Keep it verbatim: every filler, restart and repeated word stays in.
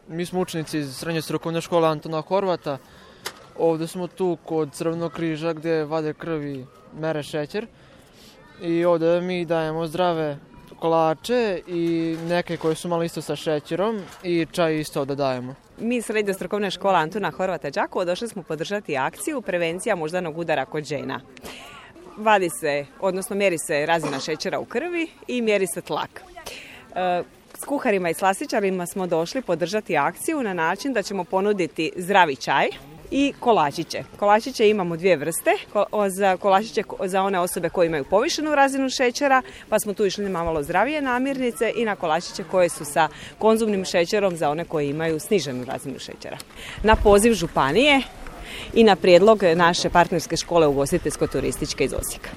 Mi smo učenici iz srednje strukovne škole Antona Horvata. Ovdje smo tu kod Crvenog križa gdje vade krv i mere šećer. I ovdje mi dajemo zdrave kolače i neke koje su malo isto sa šećerom i čaj isto da dajemo. Mi iz srednje strukovne škole Antuna Horvata Đakovo došli smo podržati akciju prevencija moždanog udara kod žena. Vadi se, odnosno mjeri se razina šećera u krvi i mjeri se tlak. E, s kuharima i slastičarima smo došli podržati akciju na način da ćemo ponuditi zdravi čaj i kolačiće. Kolačiće imamo dvije vrste, za kolačiće za one osobe koje imaju povišenu razinu šećera, pa smo tu išli na malo zdravije namirnice, i na kolačiće koje su sa konzumnim šećerom za one koji imaju sniženu razinu šećera. Na poziv županije i na prijedlog naše partnerske škole ugostiteljsko-turističke iz Osijeka.